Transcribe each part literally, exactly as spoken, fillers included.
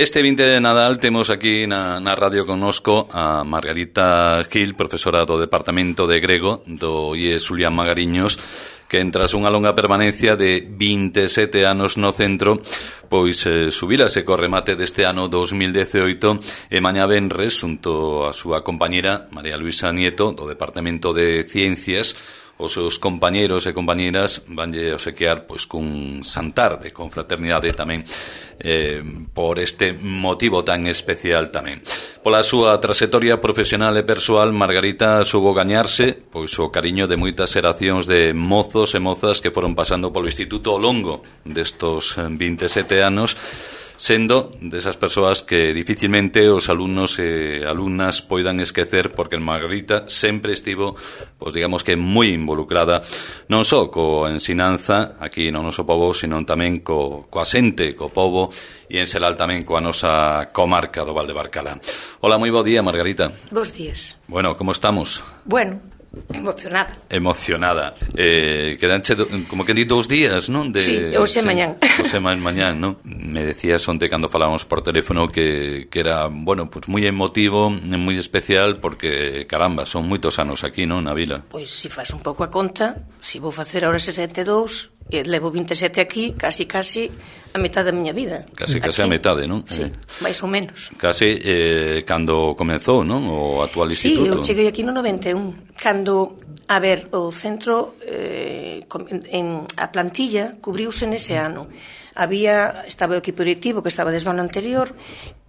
Este vinte de Nadal temos aquí na, na radio connosco a Margarita Gil, profesora do Departamento de Grego do I E Xulián Magariños, que tras unha longa permanencia de vinte e sete anos no centro, pois eh, subírase co remate deste ano dos mil dezioito e mañá venres, xunto a súa compañera María Luisa Nieto do Departamento de Ciencias, os seus compañeros e compañeras vanlle obsequiar pois cun xantar de confraternidade tamén eh, por este motivo tan especial tamén. Pola súa trayectoria profesional e persoal, Margarita soubo gañarse pois o cariño de moitas xeracións de mozos e mozas que foron pasando polo instituto ao longo destos vinte e sete anos, sendo desas persoas que dificilmente os alumnos e alumnas poidan esquecer, porque Margarita sempre estivo, pois digamos que moi involucrada non só coa ensinanza aquí no noso pobo, sino tamén co, coa xente, co pobo e en xeral tamén coa nosa comarca do Val de Barcala. Hola, moi bo día, Margarita. Bos días. Bueno, como estamos? Bueno, emocionada. Emocionada. Eh, quedanche, do, como que di, dous días, non? De, sí, hoxe sí, mañán. Hoxe mañán, non? Me decías onte cando falábamos por teléfono que, que era, bueno, pues moi emotivo, moi especial, porque, caramba, son moitos anos aquí, non, na vila? Pois, se faz un pouco a conta, se vou facer ahora sesenta e dous, e levo vinte e sete aquí, casi, casi a metade da miña vida. Casi, casi aquí. A metade, non? Sí, eh. máis ou menos. Casi eh, cando comenzou, non? O actual instituto. Sí, eu cheguei aquí no noventa e un, cando, a ver, o centro, eh, en, a plantilla cubriuse nese ano. Había, estaba o equipo directivo que estaba desde o ano anterior,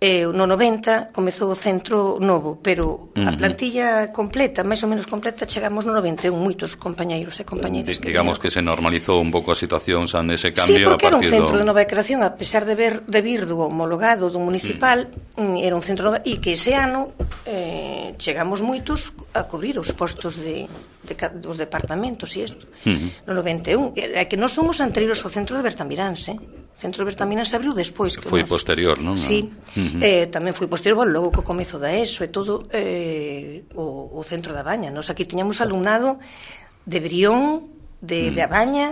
e no noventa comezou o centro novo, pero a plantilla completa, máis ou menos completa, chegamos no noventa e un, moitos compañeiros e compañeras. D- digamos que, que se normalizou un pouco a situación xa nese cambio. Sí, porque a era un centro do... de nova creación, a pesar de ver de vir do homologado do municipal, mm. era un centro nova, e que ese ano eh, chegamos moitos a cubrir os postos de, de, dos departamentos e isto, mm. no noventa e un. É que non somos anteriores ao centro de Bertamiráns, eh? O centro de Bertamiráns abriu despois. Que foi nos... posterior, non? Sí, uh-huh. eh, tamén foi posterior, bueno, logo co comezo da ESO e todo eh, o, o centro da Baña. Nos aquí tiñamos alumnado de Brión, de, mm. de Abaña,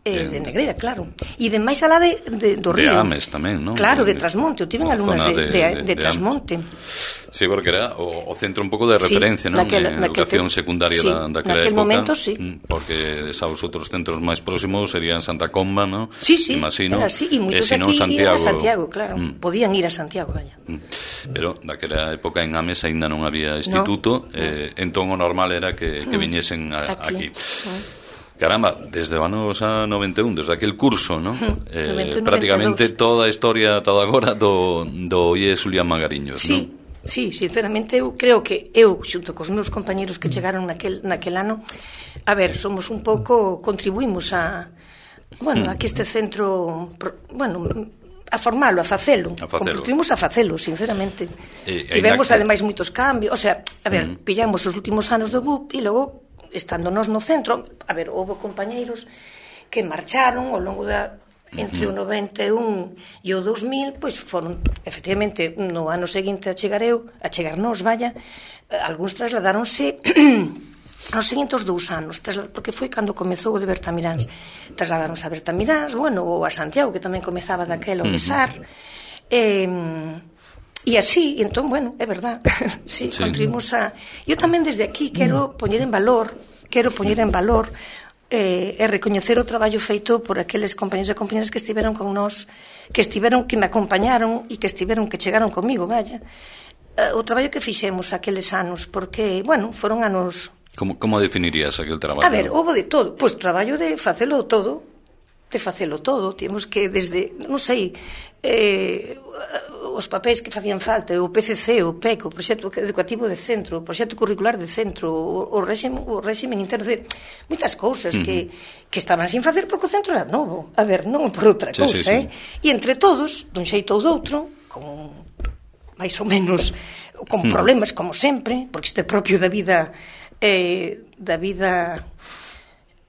eh, de Negreira, claro. E de máis alá de, de, do río. De Ames tamén, non? Claro, de Trasmonte. Eu tiven alumnas de, de, de, de, de Trasmonte. Sí, porque era o, o centro un pouco de referencia, sí, non? Naquela, de educación te... secundaria sí, da, daquela naquel época. momento, sí. Porque os outros centros máis próximos serían Santa Comba, non? Sí, sí, imagino, era así. E moitos aquí iban a Santiago, claro. Mm. Podían ir a Santiago, vaya. Mm. Pero naquela época en Ames aínda non había instituto, no, eh, no. Entón o normal era que, que viñesen a, aquí. aquí. Mm. Caramba, desde o ano noventa e un, desde aquel curso, non? Eh, noventa e un, prácticamente noventa e dos. Toda a historia, toda agora do, do I E Xulián Magariños, sí, non? Sí, sinceramente eu creo que eu, xunto cos meus compañeros que chegaron naquel, naquel ano, a ver, somos un pouco, contribuímos a, bueno, mm. a que este centro, bueno, a formalo, a facelo, a facelo. Contribuímos a facelo, sinceramente. Eh, Tivemos, que... ademais, moitos cambios, o sea, a ver, mm. pillamos os últimos anos do B U P e logo, estando nós no centro, a ver, houve compañeiros que marcharon ao longo da entre o noventa e un e o dous mil, pois foron efectivamente no ano seguinte a chegar eu, a chegarnos, vaya, algúns trasladaronse aos seguintes dous anos, porque foi cando comezou o de Bertamiráns, trasladaronse a Bertamiráns, bueno, ou a Santiago, que tamén comezaba daquela o de Sar, e E así, entón, bueno, é verdad, sí, sí. Contribuimos a... Eu tamén desde aquí quero poñer en valor, quero poñer en valor eh, e recoñecer o traballo feito por aqueles compañeros e compañeras que estiveron con nós, que estiveron, que me acompañaron e que estiveron, que chegaron comigo, vaya. Eh, o traballo que fixemos aqueles anos, porque, bueno, foron anos... Como, como definirías aquel traballo? A ver, houve de todo, pois traballo de facelo todo, de facelo todo, temos que desde, non sei, eh, os papéis que facían falta, o P C C, o P E C, o proxecto educativo de centro, o proxecto curricular de centro, o, o, réxime, o réxime interno, de moitas cousas uh-huh. que, que estaban sin facer porque o centro era novo, a ver, non por outra sí, cousa, sí, eh? Sí. E entre todos, dun xeito ou doutro, con máis ou menos, con uh-huh. problemas como sempre, porque isto é propio da vida, eh, da vida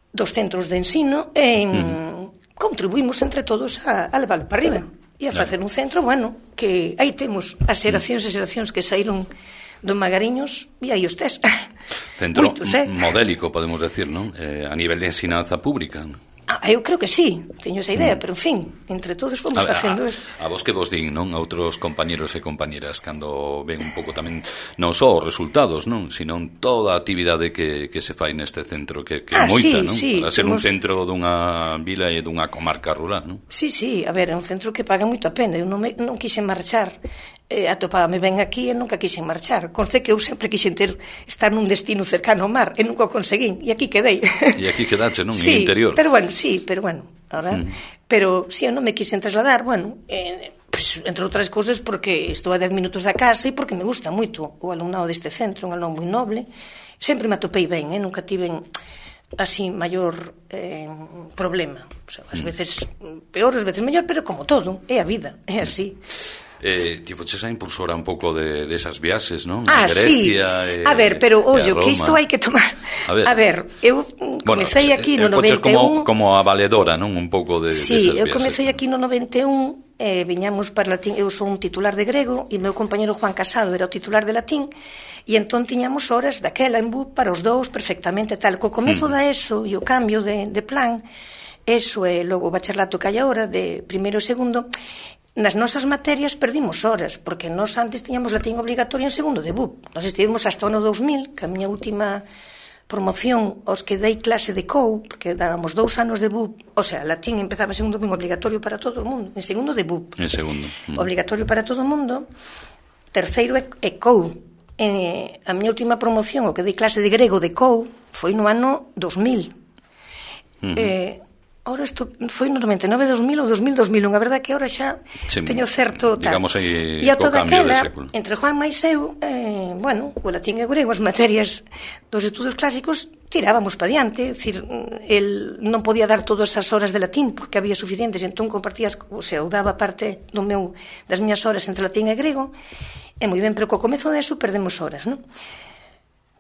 dos centros de ensino, e uh-huh. contribuímos entre todos a, a levarlo para arriba. E a facer un centro, bueno, que aí temos as xeracións e xeracións que saíron do Magariños e aí os tes. Centro Moitos, eh? modélico, podemos decir, non? Eh, a nivel de ensinanza pública. Ah, eu creo que sí, teño esa idea, mm. pero en fin, entre todos fomos a, facendo a, a vos que vos din, non? A outros compañeros e compañeras cando ven un pouco tamén non só os resultados, non? Sino toda a actividade que, que se fai neste centro, que, que é ah, moita, sí, non? Sí, para ser temos... un centro dunha vila e dunha comarca rural, non? Sí, sí, a ver, é un centro que paga moito a pena, eu non, me, non quise marchar, eh, atopábame ben aquí e nunca quise marchar, conste que eu sempre quixen ter, estar nun destino cercano ao mar e nunca o conseguín, e aquí quedei. E aquí quedache, non? Sí, en interior. Pero bueno, sí, pero bueno, ahora, mm. pero si sí, eu non me quisen trasladar, bueno, eh, pues, entre outras cousas porque estou a dez minutos da casa e porque me gusta moito o alumnado deste centro, un alumnado moi noble, sempre me atopei ben, eh, nunca tiven así maior eh, problema, o sea, ás veces peor, ás veces mellor, pero como todo, é a vida, é así. Eh, ti foches a impulsora un pouco de, de esas viaxes, non? Ah, a Grecia, sí. E, a ver, pero ollo, que isto hai que tomar. A ver, a ver eu comecei bueno, aquí no noventa e un. Como, como a valedora, non? Un pouco de, sí, de esas viaxes. Sí, eu comecei aquí no noventa e un, eh, viñamos para latín, eu sou un titular de grego e meu compañero Juan Casado era o titular de latín e entón tiñamos horas daquela en B U para os dous perfectamente tal. Co comezo hmm. da ESO e o cambio de, de plan, ESO e logo o bacharelato que hai agora de primeiro e segundo, nas nosas materias perdimos horas, porque nós antes tiñamos latín obligatorio en segundo de B U P. Nós estivemos hasta o ano dous mil, que a miña última promoción, os que dei clase de C O U, porque dábamos dous anos de B U P, o sea, latín empezaba en segundo ben obligatorio para todo o mundo, en segundo de B U P. En segundo. Mm. Obligatorio para todo o mundo. Terceiro é C O U. Eh, a miña última promoción, o que dei clase de grego de C O U, foi no ano dos mil. Mm-hmm. Eh... Ahora isto foi no noventa e nove, dos mil ou dos mil, dos mil un. A verdade que ahora xa sí, teño certo tal. Digamos aí e a co toda cambio aquela, de século. Entre Juan máis eu, eh, bueno, o latín e o grego, as materias dos estudos clásicos, tirábamos para diante, decir, el non podía dar todas as horas de latín porque había suficientes, entón compartías, o sea, eu daba parte do meu, das miñas horas entre latín e grego, e moi ben, pero co comezo deso perdemos horas, non?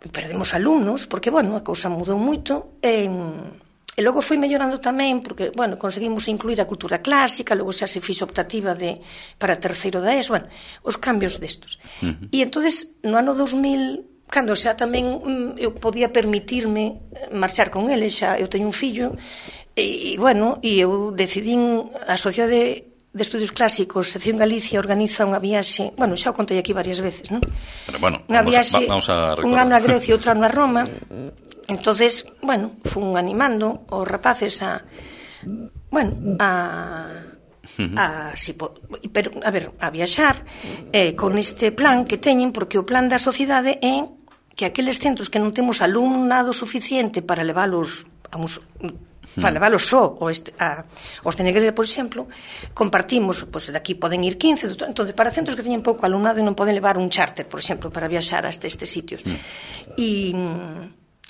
Perdemos alumnos, porque, bueno, a cousa mudou moito, e... E logo foi mellorando tamén, porque, bueno, conseguimos incluir a cultura clásica, logo xa se fixo optativa de, para terceiro da ESO, bueno, os cambios destos. Uh-huh. E entonces no ano dos mil, cando xa tamén mm, eu podía permitirme marchar con ele, xa eu teño un fillo, e, e bueno, e eu decidín, a Sociedade de Estudios Clásicos, Sección Galicia, organiza unha viaxe, bueno, xa o contei aquí varias veces, non? Pero bueno, unha vamos, viaxe, a, vamos a recordar. Un ano a Grecia e outro ano a Roma. Entonces, bueno, fun animando os rapaces a, bueno, a, a si, pero, a ver, a viaxar eh, con este plan que teñen, porque o plan da sociedade é que aqueles centros que non temos alumnado suficiente para leválos a un, para leválos só o este, a, os de Negreira, por exemplo, compartimos, pois pues, daqui poden ir quince, entón, para centros que teñen pouco alumnado e non poden levar un charter, por exemplo, para viaxar hasta estes sitios. E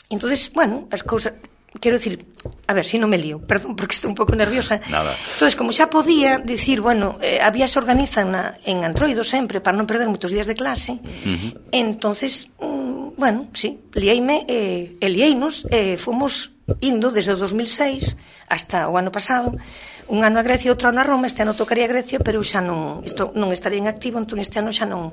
entonces, bueno, as cousas, quero dicir, a ver, se si non me lío, perdón, porque estou un pouco nerviosa. Nada. Entonces, como xa podía dicir, bueno, eh, a vía se organizan na, en Antroido sempre, para non perder moitos días de clase, uh-huh. entonces, mm, bueno, sí, liéime, eh, e liéinos, eh, fomos indo desde o dos mil seis hasta o ano pasado, un ano a Grecia e outro ano a Roma. Este ano tocaría a Grecia, pero xa non, isto non estaría en activo, entón este ano xa non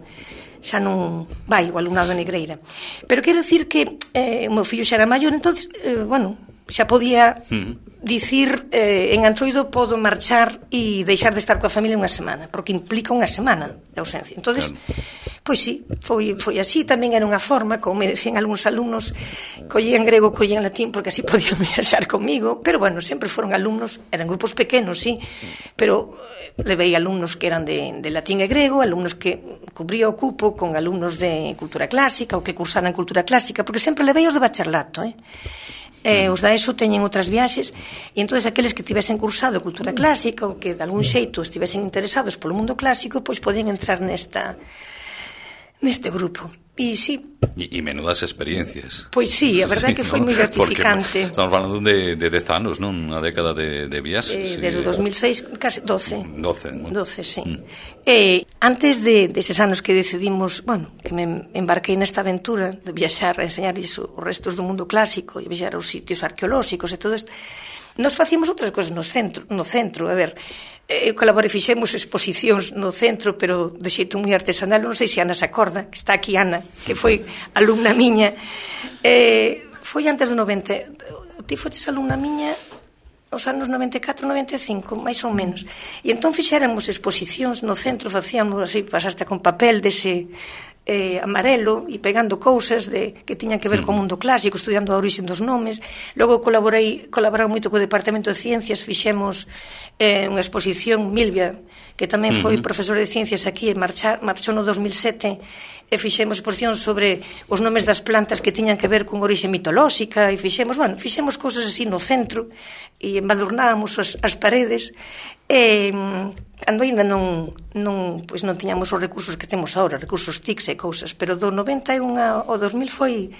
xa non vai o alumnado de Negreira. Pero quero dicir que eh, o meu fillo xa era maior, entonces, eh, bueno, xa podía mm. dicir eh, en Antroido podo marchar e deixar de estar coa familia unha semana, porque implica unha semana de ausencia. Entonces, claro. Pois sí, foi, foi así. Tamén era unha forma, como me decían algúns alumnos, collían grego, collían latín, porque así podían viaxar comigo, pero bueno, sempre foron alumnos, eran grupos pequenos, sí, pero levei alumnos que eran de, de latín e grego, alumnos que cubría o cupo con alumnos de cultura clásica ou que cursaran cultura clásica, porque sempre levei os de bacharelato, eh? Eh, os da ESO teñen outras viaxes, e entonces aqueles que tivesen cursado cultura clásica ou que de algún xeito estivesen interesados polo mundo clásico, pois podían entrar nesta neste grupo. E sí. E, e menudas experiencias. Pois sí, a verdade sí, que foi ¿no? moi gratificante. Porque estamos falando de, de dez anos, non? Unha década de, de viaxes. Eh, desde o dos mil seis, case doce. doce, ¿no? doce, sí. Mm. Eh, antes de deses anos que decidimos, bueno, que me embarquei nesta aventura de viaxar a enseñarles os restos do mundo clásico e viaxar aos sitios arqueolóxicos e todo isto, nos facíamos outras cousas no centro, no centro, a ver, eu colaborei, fixemos exposicións no centro, pero de xeito moi artesanal, non sei se Ana se acorda, que está aquí Ana, que foi alumna miña, eh, foi antes do noventa, ti foches alumna miña os anos noventa e catro, noventa e cinco, máis ou menos. E entón fixéramos exposicións no centro, facíamos así, pasaste con papel dese eh, amarelo e pegando cousas de, que tiñan que ver co mundo clásico, estudiando a orixe dos nomes. Logo colaborei, colaborei moito co Departamento de Ciencias, fixemos eh, unha exposición, Milvia, que tamén foi profesor de ciencias aquí, marchar, marchou no dos mil sete, e fixemos exposición sobre os nomes das plantas que tiñan que ver con orixe mitolóxica, e fixemos, bueno, fixemos cousas así no centro, e embadurnábamos as, as paredes, e cando ainda non, non, pois non tiñamos os recursos que temos agora, recursos T I C S e cousas, pero do noventa e un ao dos mil foi,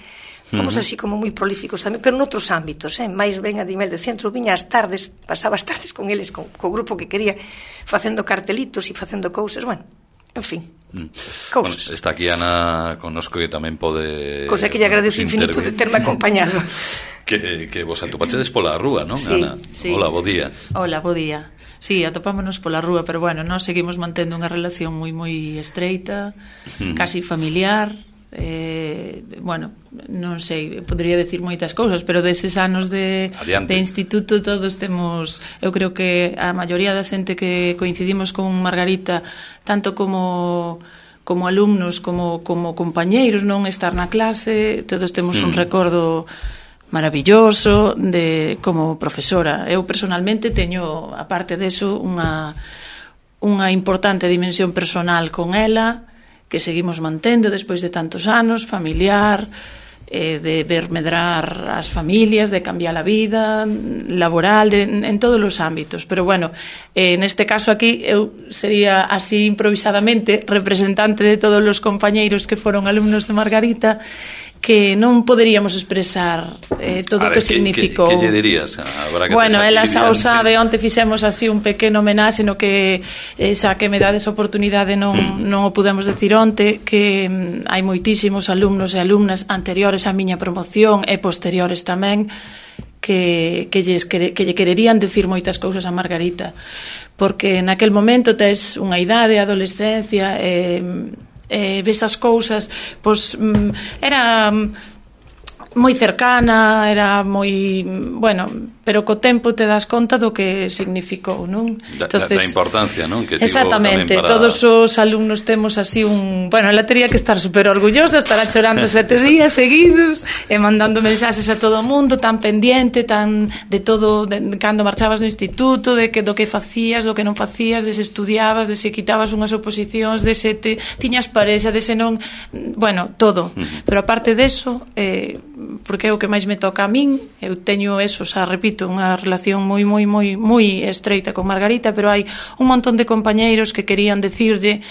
fomos así como moi prolíficos tamén, pero noutros ámbitos, eh? máis ben a nivel de centro, viña as tardes, pasaba as tardes con eles, con, co grupo que quería, facendo cartelitos e facendo cousas, bueno, en fin, mm. cousas. Bueno, está aquí Ana connosco que tamén pode... Cosa que lle agradezo infinito de terme acompañado. que, que vos atopachedes pola rúa, non, sí, Ana? Sí. Hola, bo día. Hola, bo día. Sí, atopámonos pola rúa, pero bueno, nós seguimos mantendo unha relación moi moi estreita, mm. casi familiar. Eh, bueno, non sei, podría decir moitas cousas, pero deses anos de, de instituto todos temos, eu creo que a maioría da xente que coincidimos con Margarita, tanto como como alumnos, como, como compañeiros, non estar na clase, todos temos mm. un recordo maravilloso de como profesora. Eu personalmente teño, aparte deso, unha unha importante dimensión personal con ela que seguimos mantendo despois de tantos anos, familiar, eh, de ver medrar as familias, de cambiar a vida laboral, de, en todos os ámbitos. Pero bueno, eh, neste caso aquí eu sería así improvisadamente representante de todos os compañeiros que foron alumnos de Margarita, que non poderíamos expresar eh, todo o que significou. Que, que, que lle dirías? Que bueno, ela xa o sabe, onte fixemos así un pequeno homenaxe no que eh, xa que me dades a oportunidade non, hmm. non o pudemos decir onte, que mm, hai moitísimos alumnos e alumnas anteriores á miña promoción e posteriores tamén que, que, lles, que, que lle quererían decir moitas cousas a Margarita, porque naquel momento tes unha idade, adolescencia, e eh, eh, ves as cousas, pois era moi cercana, era moi, bueno, pero co tempo te das conta do que significou, non? Da, Entonces, da importancia, non? Que exactamente, para... todos os alumnos temos así un... Bueno, ela tería que estar super orgullosa, estará chorando sete días seguidos e mandando mensaxes a todo o mundo, tan pendiente, tan de todo, de, cando marchabas no instituto, de que do que facías, do que non facías, de se estudiabas, de se quitabas unhas oposicións, de se te, tiñas parexa, de se non... Bueno, todo. Uh-huh. Pero aparte deso... Eh, porque é o que máis me toca a min, eu teño eso, xa repito, unha relación moi, moi, moi, moi estreita con Margarita, pero hai un montón de compañeiros que querían decirlle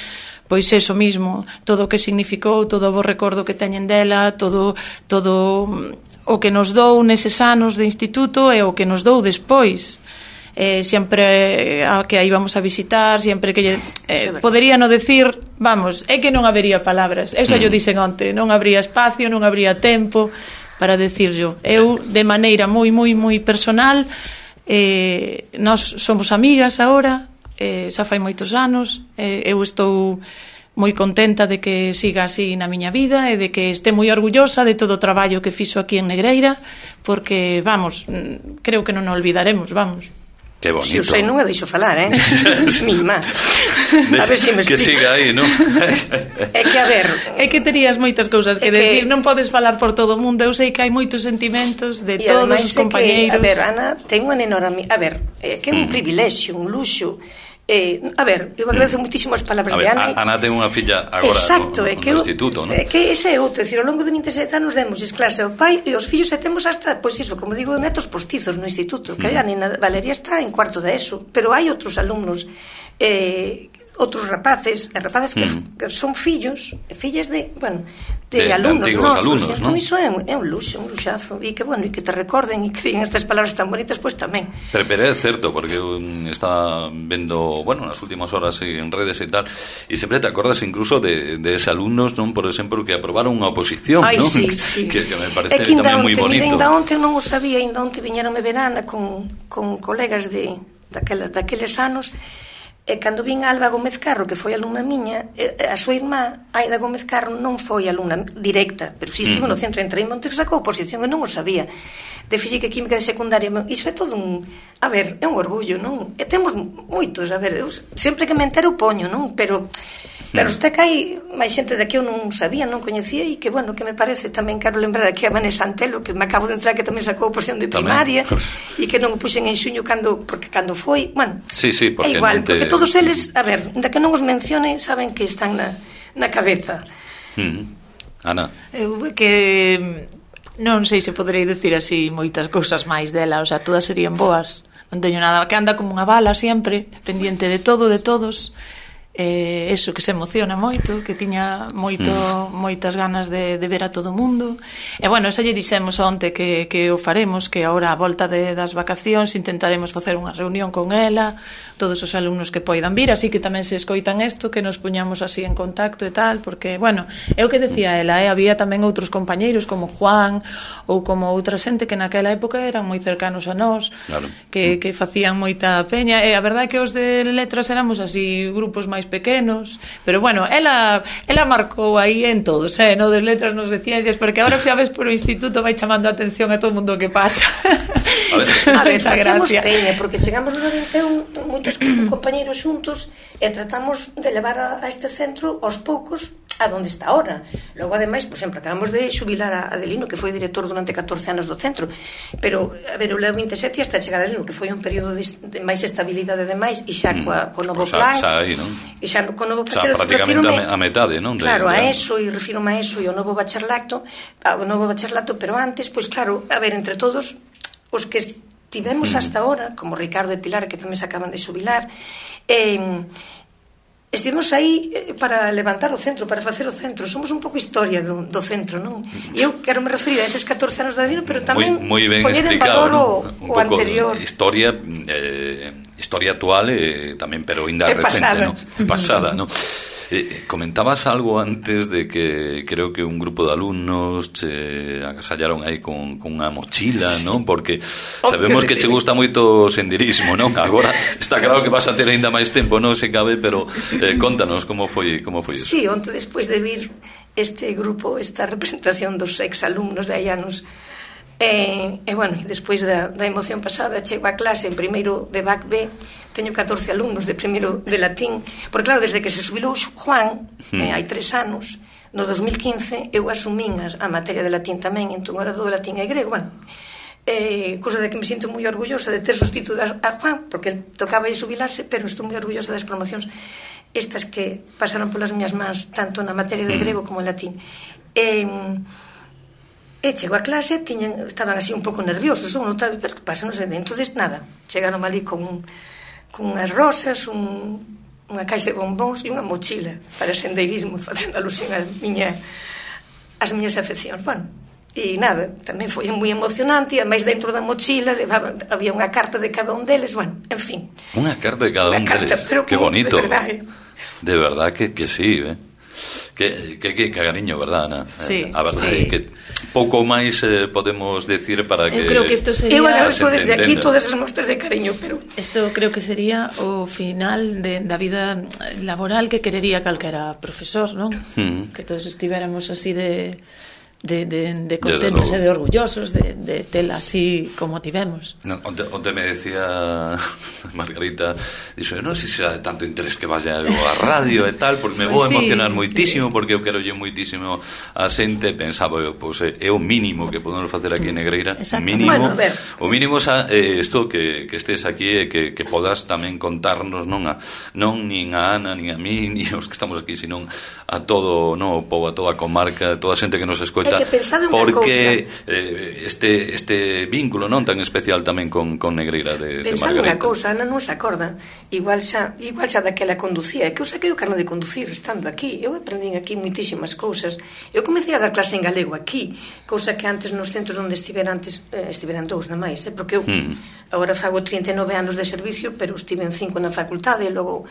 pois eso mismo, todo o que significou, todo o bo recordo que teñen dela, todo, todo o que nos dou neses anos de instituto e o que nos dou despois. Eh, sempre a que aí vamos a visitar, sempre que lle, eh, podería no decir, vamos, é que non habería palabras, eu xa yo dixen onte, non habría espacio, non habría tempo para decirlo. Eu, de maneira moi, moi, moi personal, eh, nós somos amigas agora, eh, xa fai moitos anos, eh, eu estou moi contenta de que siga así na miña vida e de que este moi orgullosa de todo o traballo que fixo aquí en Negreira, porque, vamos, creo que non o olvidaremos, vamos. Que bonito. Si o sei, non me deixo falar, eh? Mima. A ver se si me explico. Que siga aí, non? É que, a ver... É que terías moitas cousas que, que decir, non podes falar por todo o mundo. Eu sei que hai moitos sentimentos de todos os compañeiros. Que, a ver, Ana, ten unha enorme... A ver, é que é un mm. privilexio, un luxo... Eh, a ver, eu agradezo moitísimo as palabras a ver, de Ana. Ana ten unha filla agora. Exacto, no, é que no instituto, non? É que ese é outro, é dicir, ao longo de vinte e sete anos demos clase ao pai e os fillos e temos hasta, pois iso, como digo, netos postizos no instituto, que mm. a Nina Valeria está en cuarto de eso, pero hai outros alumnos eh, outros rapaces, e rapaces que, mm. que son fillos, fillas de, bueno, de, de alumnos de nosos, alumnos, entón ¿no? Iso é un, é un luxo, un luxazo, e que, bueno, e que te recorden e que digan estas palabras tan bonitas, pois pues, tamén. Pero, pero é certo, porque um, está vendo, bueno, nas últimas horas en redes e tal, e sempre te acordas incluso de, de ese alumnos, non, por exemplo, que aprobaron unha oposición, Ay, non? Sí, sí. Que, que me parece que tamén moi bonito. Ainda onte non o sabía, ainda onte viñeronme verana con, con colegas de daqueles, daqueles anos. E cando vin a Alba Gómez Carro, que foi alumna miña, a súa irmá, Aida Gómez Carro, non foi alumna directa, pero si estivo no centro, entrei en Monte que sacou oposición e non o sabía, de Física e Química de secundaria. Iso é todo un, a ver, é un orgullo, non? E temos moitos, a ver, eu sempre que me entero poño, non? Pero Pero usted que hai máis xente de que eu non sabía, non coñecía, e que, bueno, que me parece, tamén quero lembrar aquí a Vanessa Antelo, que me acabo de entrar, que tamén sacou a oposición de primaria, e que non o puxen en xuño cando, porque cando foi, bueno, sí, sí, é igual, te... porque todos eles, a ver, ainda que non os mencione, saben que están na, na cabeza. Hmm. Ana? Eu que non sei se poderei decir así moitas cousas máis dela, o sea, todas serían boas, non teño nada, que anda como unha bala sempre, pendiente de todo, de todos. Eh, eso, que se emociona moito, que tiña moito, moitas ganas de, de ver a todo o mundo. E bueno, xa lle dixemos onte que, que o faremos, que agora a volta de, das vacacións intentaremos facer unha reunión con ela, todos os alumnos que poidan vir, así que tamén se escoitan isto, que nos poñamos así en contacto e tal, porque, bueno, é o que decía ela, eh, había tamén outros compañeiros como Juan ou como outra xente que naquela época eran moi cercanos a nós, claro, que, que facían moita peña, e a verdade é que os de letras éramos así grupos máis pequenos, pero bueno, ela ela marcou aí en todos, eh, no das letras, nos de ciencias, porque agora xa ves por o instituto vai chamando a atención a todo o mundo que pasa. A ver, a ver facemos peña, porque chegamos no noventa e un moitos compañeros xuntos e tratamos de levar a, a este centro aos poucos a donde está ahora. Logo, ademais, por exemplo, acabamos de xubilar a Adelino, que foi director durante catorce anos do centro, pero, a ver, o levo vinte e sete hasta chegar a Adelino, que foi un período de, de máis estabilidade de máis, e xa mm. coa, co novo pues plan, xa, xa aí, non? E xa co novo plan, xa prácticamente a metade, non? Claro, a eso, e refirome a eso, e o novo bacharelato, o novo bacharelato, pero antes, pois claro, a ver, entre todos, os que estivemos mm. hasta ahora, como Ricardo e Pilar, que tamén se acaban de xubilar, eh, estivemos aí para levantar o centro, para facer o centro. Somos un pouco historia do, do centro, non? E eu quero me referir a eses catorce anos de Adelino, pero tamén moi, moi poñer en valor ¿no? o, un o anterior. Historia, eh, historia actual eh, tamén, pero ainda recente, pasada. ¿no? Pasada, ¿no? Eh, comentabas algo antes de que creo que un grupo de alumnos che agasallaron aí con, con unha mochila, sí, non? Porque sabemos que che gusta moito o senderismo, non? Agora está claro que vas a ter ainda máis tempo, non se cabe, pero eh, contanos como foi, como foi eso. Sí, onte despois de vir este grupo, esta representación dos ex alumnos de hai anos, E, e bueno, despois da, da emoción pasada chego a clase en primeiro de B A C B, teño catorce alumnos de primeiro de latín, porque claro, desde que se subilou Juan, hmm. eh, hai tres anos, no dos mil quince eu asumín as, a materia de latín tamén, entón era do latín e grego, bueno, eh, cousa de que me sinto moi orgullosa de ter sustituído a Juan, porque el tocaba aí subilarse, pero estou moi orgullosa das promocións estas que pasaron polas miñas mans, tanto na materia de grego como en latín. E E chego a clase, tiñan, estaban así un pouco nerviosos, ou non estaba, pero que pasa, non sei, entonces nada, chegaron ali con, con unhas rosas, un, unha caixa de bombóns e unha mochila para sendeirismo, facendo alusión a miña, as miñas afeccións. Bueno, e nada, tamén foi moi emocionante, e ademais dentro da mochila levaban, había unha carta de cada un deles, bueno, en fin. Unha carta de cada un carta, deles, que bonito. De verdad, eh? De verdad que, que sí, eh? Que, que, que cariño, verdad, Ana? Sí, a verdade sí. É que pouco máis eh, podemos decir para que... Eu creo que isto sería... Eu agradezo desde aquí todas as mostras de cariño, pero... Isto creo que sería o final de, da vida laboral que querería calquera profesor, non? Mm. Que todos estivéramos así de... de, de, de contentos e de orgullosos de, de tela así como tivemos. No, onde, onde me decía Margarita, dixo, non sei se será de tanto interés que vaya a radio e tal, porque me vou pues sí, emocionar moitísimo, sí. Porque eu quero lle moitísimo a xente, pensaba eu, pois pues, é o mínimo que podemos facer aquí en Negreira, o mínimo, bueno, o mínimo xa, eh, isto que, que estés aquí e que, que podas tamén contarnos, non a non nin a Ana, nin a mí, nin os que estamos aquí, sino a todo, no, o povo, a toda a comarca, a toda a xente que nos escoita, porque eh, este este vínculo non tan especial tamén con, con Negreira de, de Margarita. Pensando unha cousa, Ana non se acorda, igual xa, igual xa daquela conducía, que eu saquei o carné de conducir estando aquí, eu aprendín aquí moitísimas cousas, eu comecei a dar clase en galego aquí, cousa que antes nos centros onde estivera antes, eh, estiveran dous na máis, eh, porque eu hmm. agora fago trinta e nove anos de servicio, pero estive en cinco na facultade, e logo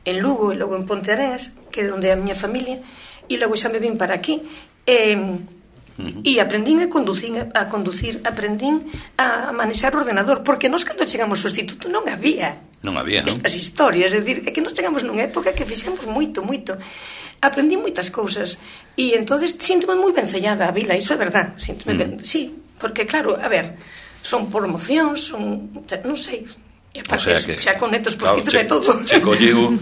en Lugo, e logo en Ponteareas, que é onde é a miña familia, e logo xa me vim para aquí, e... Eh, Uh-huh. E aprendín a conducir, a conducir, aprendín a manexar o ordenador, porque nós cando chegamos ao instituto non había non había, non? Estas historias, é dicir, é que nos chegamos nunha época que fixemos moito, moito. Aprendí moitas cousas e entonces síntome moi vencellada a vila, iso é verdad, síntome mm. ben, sí, porque claro, a ver, son promocións, son, non sei, e aparte, o sea que, xa con netos postizos claro, e todo. Se colleu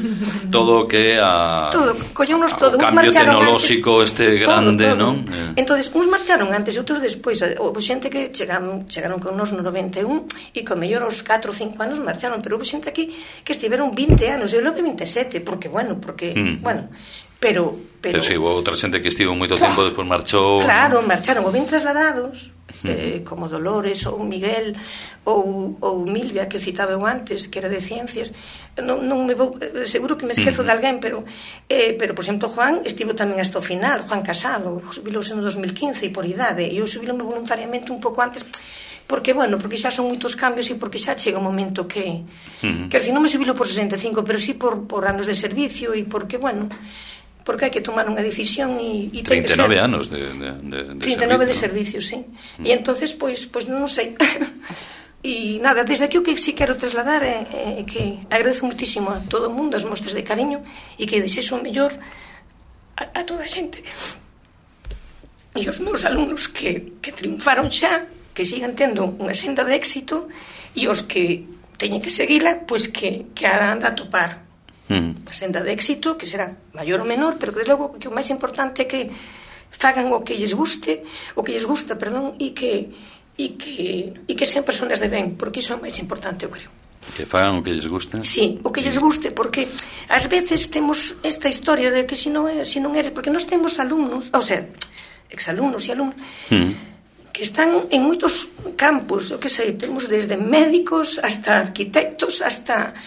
todo o que a todo, colleunos todo, o cambio tecnolóxico antes, este grande, todo, todo. Non? Eh. Entonces, uns marcharon antes e outros despois, houve xente que chegaron, chegaron con nos no noventa e un e con mellor aos catro ou cinco anos marcharon, pero houve xente aquí que estiveron vinte anos, eu logo vinte e sete, porque, bueno, porque, mm. bueno, pero... Pero, pero si, houve outra xente que estivo moito tempo, despois marchou... Claro, marcharon, ou ben trasladados, eh, como Dolores ou Miguel ou, ou Milvia, que citaba eu antes, que era de ciencias. Non, non me vou, seguro que me esquezo de alguén, pero, eh, pero por exemplo, Juan estivo tamén hasta o final, Juan Casado, subilouse no dos mil quince e por idade, e eu subilome voluntariamente un pouco antes, porque, bueno, porque xa son moitos cambios e porque xa chega o momento que... Uh-huh. Quer dizer, non me subilo por sesenta e cinco, pero sí por, por anos de servicio e porque, bueno... porque hai que tomar unha decisión e, e ten que ser... trinta e nove anos de, de, de, de trinta e nove servicio, de servicio, sí. Mm. E entonces, pois, pois non sei. E nada, desde aquí o que si quero trasladar é, é que agradezo muitísimo a todo o mundo as mostras de cariño e que desexo o mellor a, a toda a xente. E os meus alumnos que, que triunfaron xa, que sigan tendo unha senda de éxito, e os que teñen que seguila, pois que, que han de atopar Mm. a senda de éxito, que será maior ou menor, pero que desde logo que o máis importante é que fagan o que lles guste, o que lles gusta, perdón, e que e que e que sean persoas de ben, porque iso é o máis importante, eu creo. Que fagan o que lles gusta? Sí, o que lles guste, porque ás veces temos esta historia de que se non é, se non eres, porque nós temos alumnos, ou sea, exalumnos e alumnos mm. que están en moitos campos, o que sei, temos desde médicos hasta arquitectos, hasta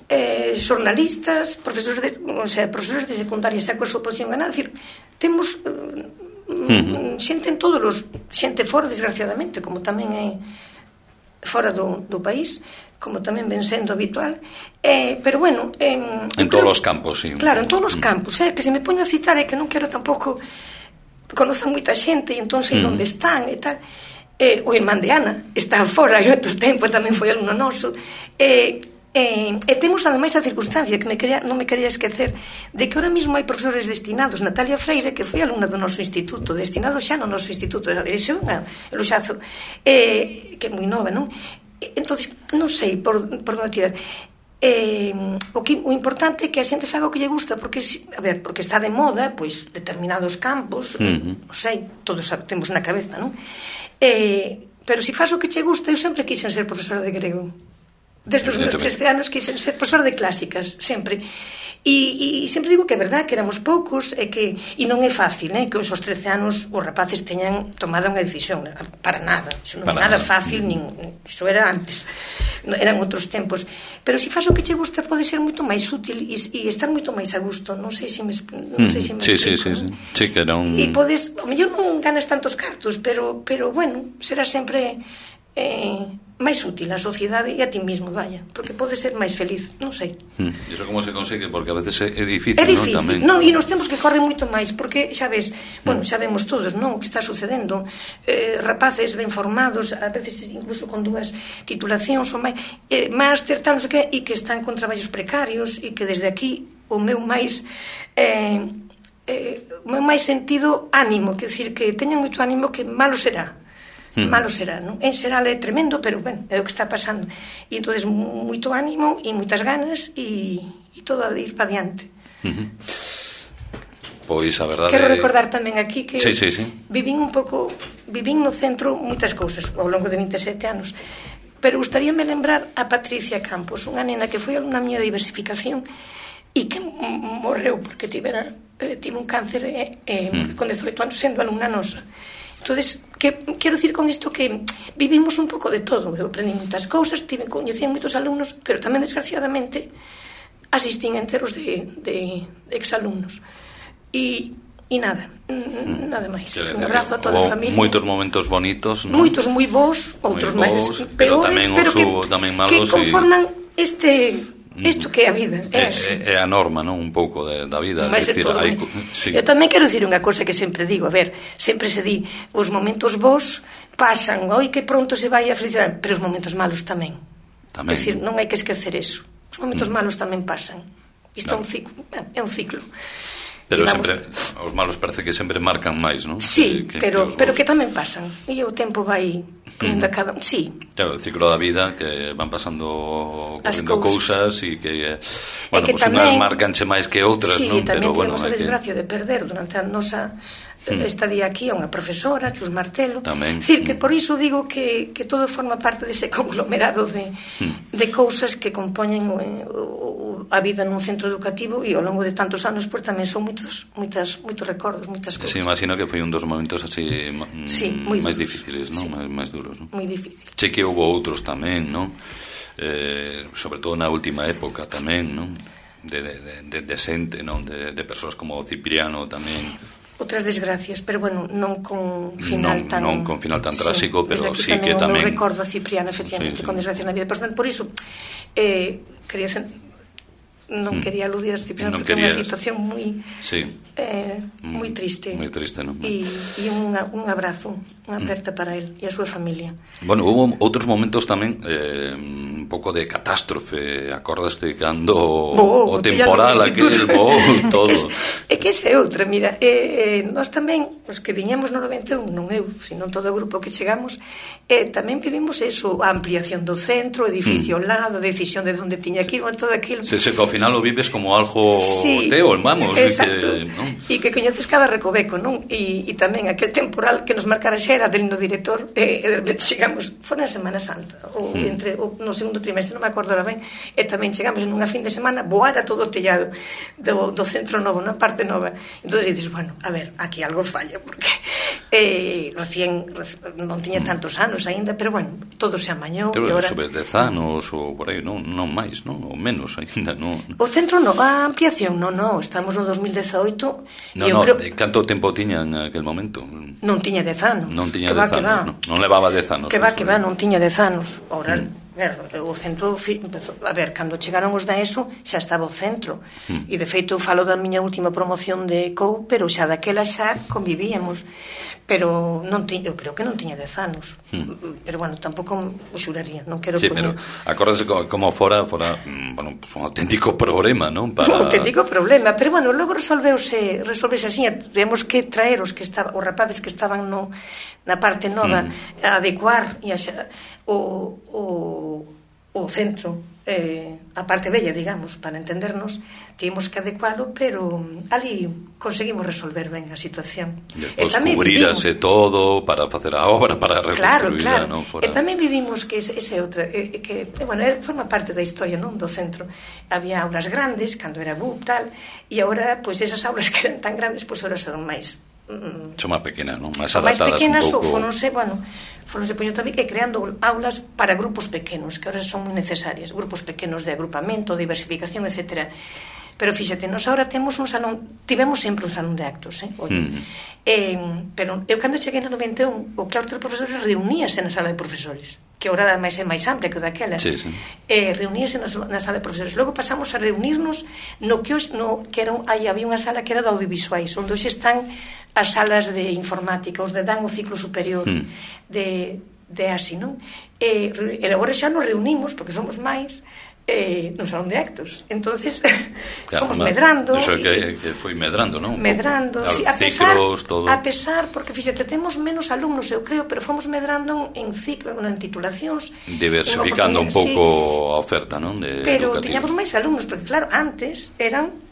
eh, xornalistas, profesores de, o sea, profesores de secundaria, xa coa súa posición ganada, decir, temos eh, uh-huh. xente en todos os, xente fora, desgraciadamente, como tamén é fora do, do país, como tamén ven sendo habitual, eh, pero bueno... Eh, en todos os campos, sí. Claro, en todos os campos, eh, que se me poño a citar é que non quero tampouco conocer moita xente e entón sei uh-huh. onde están e tal. Eh, o irmán de Ana está fora e outro tempo tamén foi alumno noso, eh, Eh, e temos ademais a circunstancia que me quería, non me quería esquecer de que ahora mismo hai profesores destinados. Natalia Freire, que foi alumna do noso instituto, destinado xa no noso instituto, era dirección a Luxazo, eh, que é moi nova, non? Entonces, non sei por, por onde tirar. Eh, o, que, o importante é que a xente faga o que lle gusta, porque, a ver, porque está de moda, pois, determinados campos, uh-huh. non sei, todos temos na cabeza, non? Eh, pero se faz o que che gusta, eu sempre quixen ser profesora de grego. Desde os meus trece anos quixen ser profesor de clásicas, sempre. E, e sempre digo que é verdad, que éramos poucos, e que e non é fácil, eh, que os trece anos os rapaces teñan tomado unha decisión, para nada. Iso non é nada fácil, nin, iso era antes, eran outros tempos. Pero se faz o que che gusta pode ser moito máis útil e, e estar moito máis a gusto. Non sei se me, non sei se me sí, explico. Sí, sí, sí. Sí, que era un... E podes, ao mellor non ganas tantos cartos, pero, pero bueno, será sempre... Eh, máis útil á sociedade e a ti mismo, vaya, porque podes ser máis feliz, non sei. Hmm. E iso como se consegue? Porque a veces é difícil, é difícil, non? Tamén. Non, e nos temos que correr moito máis, porque xa ves, bueno, xa vemos todos, non, o que está sucedendo, eh, rapaces ben formados, a veces incluso con dúas titulacións ou máis, eh, máster, tal, non sei que, e que están con traballos precarios, e que desde aquí o meu máis eh, eh, o meu máis sentido ánimo, que decir, que teñan moito ánimo, que malo será. Malo será, non? En xeral é tremendo, pero, ben, é o que está pasando. E entonces moito ánimo e moitas ganas e, e todo a ir para diante. Uh-huh. Pois a verdade... Quero recordar tamén aquí que sí, sí, sí. vivín un pouco, vivín no centro moitas cousas ao longo de vinte e sete anos, pero gustaríame lembrar a Patricia Campos, unha nena que foi alumna miña de diversificación e que morreu porque tivera, eh, tive un cáncer eh, eh, uh-huh. con dezoito anos sendo alumna nosa. Entonces, que, quero dicir con isto que vivimos un pouco de todo. Eu aprendi moitas cousas, tive, coñecían moitos alumnos, pero tamén, desgraciadamente, asistín enteros de, de, de exalumnos. E, e nada, mm. nada máis. Un abrazo a toda a familia. Moitos momentos bonitos, non? Moitos moi bons, outros máis pero peores, tamén pero que, tamén malos, que conforman y... este... isto que é a vida, é así. É, é a norma, non? Un pouco de, da vida. Vai ser todo hai... sí. Eu tamén quero dicir unha cosa que sempre digo, a ver, sempre se di, os momentos bons pasan, oi, que pronto se vai a felicidade, pero os momentos malos tamén. Tamén. É dicir, non hai que esquecer eso. Os os momentos malos tamén pasan. Isto é un ciclo, é un ciclo. Pero sempre, os malos parece que sempre marcan máis, non? Sí, que, pero, que pero que tamén pasan. E o tempo vai correndo a cada... Sí. Claro, o ciclo da vida, que van pasando correndo cousas e que, bueno, que pues tamén, unhas marcanche máis que outras, sí, non? Pero, bueno, tamén temos a desgracia que... de perder durante a nosa estadía aquí a unha profesora, Chus Martelo. Tamén. Dicir que por iso digo que, que todo forma parte dese conglomerado de, de cousas que compoñen o, o, a vida nun centro educativo, e ao longo de tantos anos pues, tamén son moitos, moitas, moitos recordos, moitas cousas. Sí, imagino que foi un dos momentos así sí, máis duros, difíciles, non? Sí. Máis, máis duros, non? Moi difícil. Che que houve outros tamén, non? Eh, sobre todo na última época tamén, non? De, de, de, de xente, non? De, de persoas como Cipriano tamén. Outras desgracias, pero bueno, non con final non, tan... Non con final tan tráxico, sí, pero sí tamén que tamén... Non recordo a Cipriano, efectivamente, sí, sí. Con desgracia na vida. Pues, por iso, eh, quería... non quería aludir a Cipriano non porque é querías... unha situación moi sí. eh, moi triste, moi triste, non? E, e un, un abrazo, unha aperta para él e a súa familia. Bueno, houve outros momentos tamén eh, un pouco de catástrofe, acordaste cando bo, o temporal aquel, bo, todo. É que ese é outra, mira, eh, eh, nós tamén, os que viñamos no noventa e un, non eu, sino todo o grupo que chegamos, eh, tamén vivimos eso, a ampliación do centro, o edificio ao mm. lado, a decisión de onde tiña que ir, todo aquilo. Se, se, ao final o vives como algo sí, teo, vamos. Exacto, e que, ¿no? E que coñeces cada recoveco, non? E, e tamén aquel temporal que nos marcara xa era del no director, e, e de repente chegamos, fora na Semana Santa, ou mm. entre ou, no segundo trimestre, non me acordo ahora ben, e tamén chegamos en unha fin de semana, voara todo o tellado do, do centro novo, na parte nova. Entón dices, bueno, a ver, aquí algo falla, porque eh, recién, recién non tiña tantos anos aínda, pero bueno, todo se amañou. Pero ahora... sobre dez anos ou por aí, non, non máis, non? Ou menos aínda, non? O centro no, a ampliación, non, non, estamos no dos mil dezaoito. No, no, creo... canto tempo tiña en aquel momento? Non tiña dez anos. Non tiña dez anos, non, non levaba dez anos. Que va, que va, non tiña dez anos. Ora, mm. o centro, a ver, cando chegaron os da ESO, xa estaba o centro. Mm. E, de feito, eu falo da miña última promoción de C O U, pero xa daquela xa convivíamos. Pero non tiña, eu creo que non tiña dez anos. Mm. Pero, bueno, tampouco o xuraría, non quero sí, poñer... pero acórdase como fora, fora, bueno, pues un auténtico problema, non? Para... Un auténtico problema, pero, bueno, logo resolveuse, resolveuse así, temos que traer os que estaban, os rapaces que estaban no, na parte nova, mm. a adecuar e a xa, o, o, o centro, eh, a parte bella, digamos, para entendernos, tínhamos que adecualo, pero ali conseguimos resolver ben a situación. Depois cubrirase todo para facer a obra, para reconstruirla, claro, claro. non? Fora... E tamén vivimos que ese, ese outra, eh, que, bueno, forma parte da historia, non, do centro. Había aulas grandes, cando era B U P, tal, e agora, pois, esas aulas que eran tan grandes, pois, agora son máis... Son máis pequenas, non? Máis adaptadas máis pequenas, un pouco... ou foronse, bueno, foronse poñendo tamén que creando aulas para grupos pequenos, que ahora son moi necesarias, grupos pequenos de agrupamento, diversificación, etcétera. Pero fíxate, nós agora temos un salón, tivemos sempre un salón de actos, eh? Oye, mm. eh, pero eu cando cheguei no noventa e un, o claustro de profesores reuníase na sala de profesores, que agora ademais é máis amplia que o daquela. Sí, sí. Eh, reuníase na, na sala de profesores. Logo pasamos a reunirnos no que, os, no, que era, aí había unha sala que era de audiovisuais, onde hoxe están as salas de informática, os de dan o ciclo superior mm. de, de así, non? E, e agora xa nos reunimos, porque somos máis, eh, no salón de actos. Entonces, claro, fomos medrando. Eso que, que foi medrando, non? Medrando, claro, sí, a pesar, ciclos, todo. A pesar, porque fíxate, temos menos alumnos, eu creo, pero fomos medrando en ciclos, en titulacións. Diversificando un pouco sí, a oferta, non? De pero educativa. Tiñamos máis alumnos, porque claro, antes eran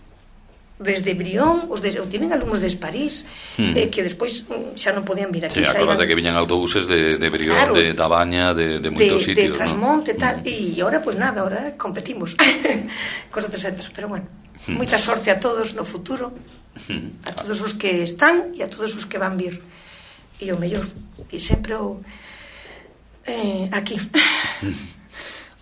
desde Brión, os de, eu tiven alumnos de París, hmm. eh, que despois xa non podían vir aquí. Sí, acorda que viñan autobuses de, de Brión, claro, de Dabaña, de, de moitos de, sitios, de Trasmonte, ¿no? Tal, e ahora, pues nada, ahora competimos cos outros centros, pero bueno, hmm. moita sorte a todos no futuro, hmm. a todos os que están e a todos os que van vir, e o mellor, e sempre o eh, aquí.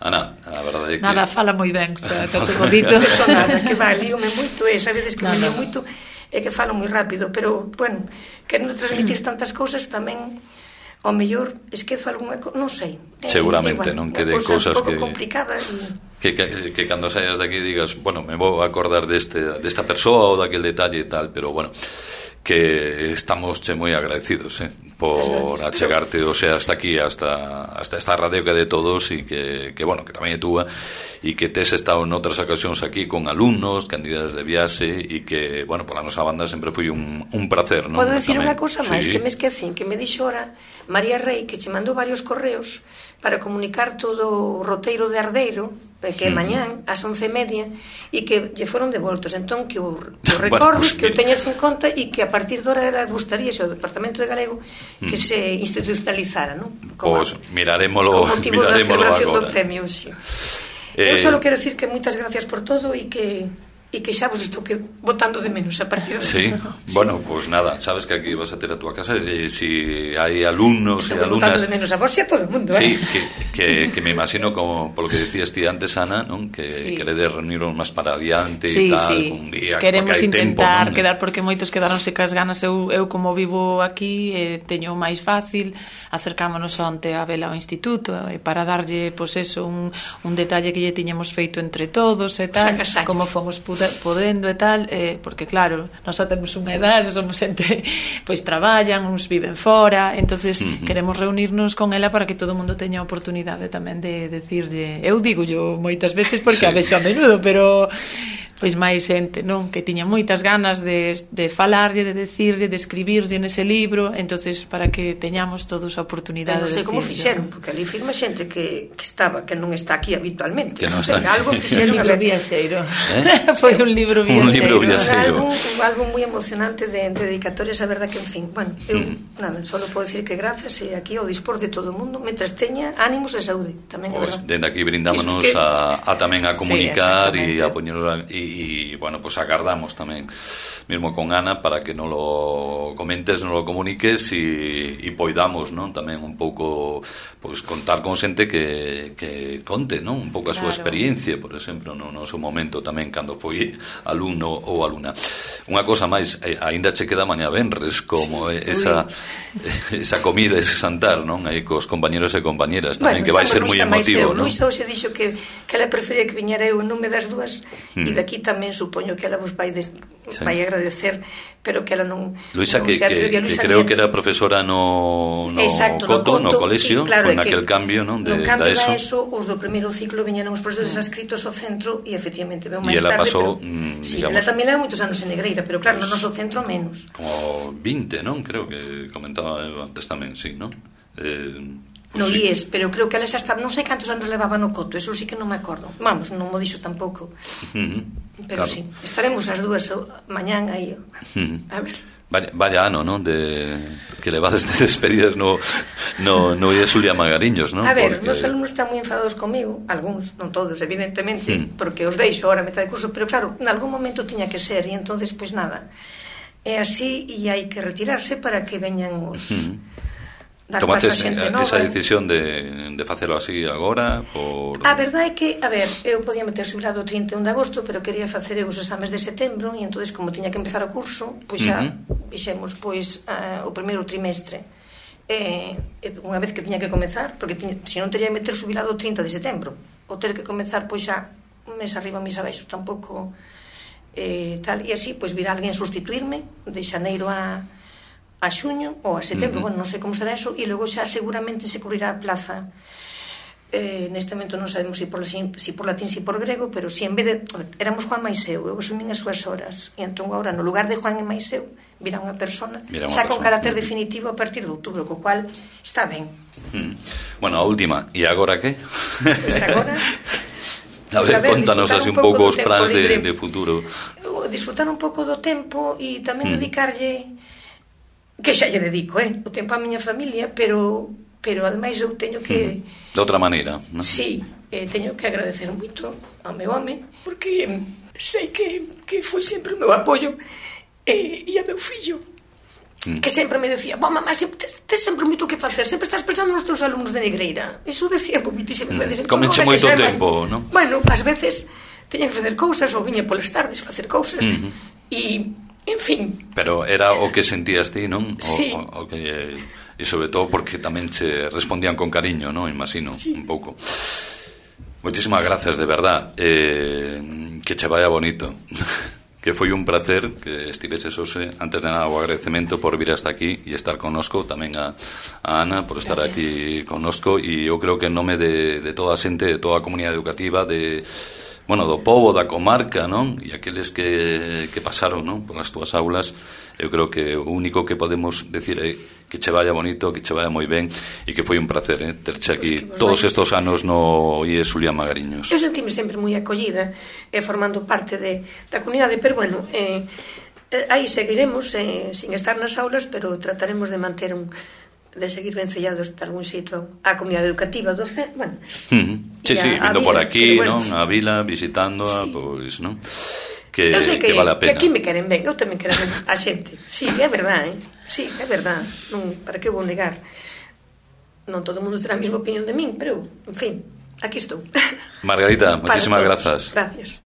Ana, a verdade é que... Nada, fala moi ben, xa, cacho bonito. Eso nada, que va, líome moito, e sabedes que me lío moito, e que falo moi rápido, pero, bueno, querendo transmitir tantas cousas tamén, ao mellor, esquezo algunha cousa, non sei. Seguramente, non? Que de cousas que... complicadas e... Que, que, que cando saias de aquí digas, bueno, me vou acordar deste, desta persoa ou daquel detalle e tal, pero, bueno... que estamos che moi agradecidos, eh, por achegarte, o sea, hasta aquí, hasta hasta esta radio que é de todos e que, que bueno, que tamén é túa e que tes estado en outras ocasións aquí con alumnos, candidatos de viaxe e que, bueno, pola nosa banda sempre foi un, un placer, non? Podo decir unha cosa máis, sí, que me esquecín, que me dixo ora María Rey, que che mandou varios correos para comunicar todo o roteiro de Ardeiro, que é mañán, ás once e media, e que lle foron devoltos. Entón, que o, que o recordos, bueno, pues, que o teñas en conta e que a partir de hora gustaría o Departamento de Galego que mm. se institucionalizara, non? Pois pues, miraremoslo, miraremoslo agora. Do premio, sí. eh... Eu só quero decir que moitas gracias por todo e que e que xa vos estou que botando de menos a partir de... Sí, bueno, pues nada, sabes que aquí vas a ter a túa casa e si hai alumnos e alumnas... Estamos botando de menos a vos e a todo o mundo, sí, eh? que, que, que me imagino, como polo que decías ti antes, Ana, non? Que sí, queredes reunirnos máis para adiante sí, e tal, sí, un día, queremos intentar tempo, quedar, porque moitos quedaronse cas ganas. Eu, eu como vivo aquí, eh, teño máis fácil, acercámonos onte a vela ao instituto, eh, para darlle, pois pues eso, un, un detalle que lle tiñamos feito entre todos e tal, Saca, como fomos podendo e tal, eh, porque claro, nós xa temos unha edade, somos xente, pois traballan, uns viven fora, entonces uh-huh. queremos reunirnos con ela para que todo o mundo teña a oportunidade tamén de decirlle, eu digo yo moitas veces porque sí, a vexo a menudo, pero pois máis xente, non? Que tiña moitas ganas de, de falarlle, de decirlle, de escribirlle nese libro, entonces para que teñamos todos a oportunidade de decirlle. Non sei como fixeron, porque ali firma xente que, que estaba, que non está aquí habitualmente. Que non está aquí. Algo fixeron. Un libro viaxeiro. ¿Eh? Foi un libro viaxeiro. Un libro viaxeiro. Algo, algo moi emocionante de, de dedicatorias, a verdad que, en fin, bueno, eu, mm. nada, só podo decir que gracias e aquí ao dispor de todo o mundo, mentras teña ánimos e saúde, tamén é pues, verdad. Dende aquí brindámonos que... a, a tamén a comunicar e sí, a poñernos a, e, e, bueno, pues agardamos tamén mesmo con Ana para que non lo comentes, non lo comuniques e, e poidamos, non? Tamén un pouco pois contar con xente que, que conte, non? Un pouco a súa claro. experiencia, por exemplo, no, no seu momento tamén cando foi alumno ou alumna. Unha cosa máis, eh, aínda che queda mañá venres como sí, esa esa comida, ese santar, non? Aí cos compañeros e compañeras tamén, bueno, que vai ser moi emotivo, non? Luisa hoxe dixo que, que ela prefería que viñera eu en nome das dúas e hmm. daqui tamén supoño que ela vos vai des, sí. vai agradecer, pero que ela non Luisa, non que, que, Luisa que creo bien. que era profesora no, no Exacto, Coto, no, no colexio, claro, con aquel cambio, non? De, no cambio da ESO. da ESO, os do primeiro ciclo viñeron os profesores adscritos ao centro e efectivamente veu máis tarde. E ela tarde, pasou, pero, mm, sí, digamos... ela tamén era moitos anos en Negreira, pero claro, pues, no noso centro menos. Como vinte, non? Creo que comentaba antes tamén, sí, non? Eh... Pues no sí. I E S, pero creo que ela xa estaba, non sei cantos anos levaba no Coto, eso sí que non me acordo. Vamos, non mo dixo tampouco. Uh-huh. Pero claro. sí, estaremos as dúas mañán aí. Uh-huh. A ver. Vaya, vaya ano, non? De que levades de despedidas no no no I E S Xulia Magariños, non? A ver, porque... os meus alumnos están moi enfadados comigo, algúns, non todos, evidentemente, uh-huh. porque os deixo ahora a metade de curso, pero claro, en algún momento tiña que ser e entonces pois pues, nada. É así e hai que retirarse para que veñan os uh-huh. Tomaches esa decisión de, de facelo así agora por... A verdade é que, a ver, eu podía meter xubilado o trinta e un de agosto, pero quería facer os exames de setembro e entonces como tiña que empezar o curso, pois xa uh-huh. fixemos pois uh, o primeiro trimestre e, unha vez que tiña que comezar, porque tiña, se non teria que meter xubilado o trinta de setembro ou ter que comezar pois xa un mes arriba, un mes abaixo, tampouco eh, tal, e así pois virá alguén sustituirme de xaneiro a a xuño ou a setembro, uh-huh. bueno, non sei como será eso, e logo xa seguramente se cubrirá a plaza. Eh, neste momento non sabemos se por, si, si por latín, si por grego, pero si en vez de... Éramos Juan máis eu, eu asumín as súas horas, e entón agora, no lugar de Juan e máis eu, virá unha persona, Mira unha xa persona. Con carácter uh-huh. definitivo a partir de outubro, co cual está ben. Uh-huh. Bueno, a última, e agora que? Pois agora... A ver, ver contanos así un pouco os plans de, de futuro. Disfrutar un pouco do tempo e tamén uh-huh. dedicarlle... que xa lle dedico, eh, o tempo á miña familia, pero pero ademais eu teño que... De outra maneira, non? Sí, eh, teño que agradecer moito ao meu home, porque sei que, que foi sempre o meu apoio e, e a meu fillo, mm. que sempre me decía, bo, mamá, tes, tes sempre moito que facer, sempre estás pensando nos teus alumnos de Negreira. Iso decía moitísimas veces. Mm. Comeche moito tempo, non? Bueno, ás veces teña que facer cousas, ou viña polas tardes facer cousas, mm-hmm. e... En fin. Pero era o que sentías ti, non? O, sí. O, o que, e sobre todo porque tamén che respondían con cariño, non? Imagino, sí. Un pouco. Moitísimas gracias, de verdad. Eh, que che vaya bonito. que foi un placer que estiveses hoxe. Antes de nada, o agradecemento por vir hasta aquí e estar connosco, tamén a, a Ana por estar Gracias. aquí connosco, e eu creo que en nome de, de toda a xente, de toda a comunidade educativa, de, bueno, do pobo, da comarca, non? E aqueles que, que pasaron, non? Por as túas aulas, eu creo que o único que podemos decir é que che vaya bonito, que che vaya moi ben, e que foi un placer, eh, terche aquí Pues todos vaya. estos anos no I E S Julián Magariños. Eu sentime sempre moi acollida, eh, formando parte de, da comunidade, pero bueno, eh, eh, aí seguiremos eh, sin estar nas aulas, pero trataremos de manter un de seguir vencellados de algún xeito a comunidade educativa do C, bueno. Uh-huh. Sí, sí, a, vindo a por vila, aquí, bueno, non? A vila, visitándoa, sí. pois, non? Que, eu sei que que, vale a que pena. aquí me queren ben, eu tamén quero ben a xente. Sí, é verdade, eh? Sí, é verdade. Non, para que vou negar? Non todo o mundo terá a mesma opinión de min, pero, en fin, aquí estou. Margarita, Para moitísimas todos. grazas. Gracias.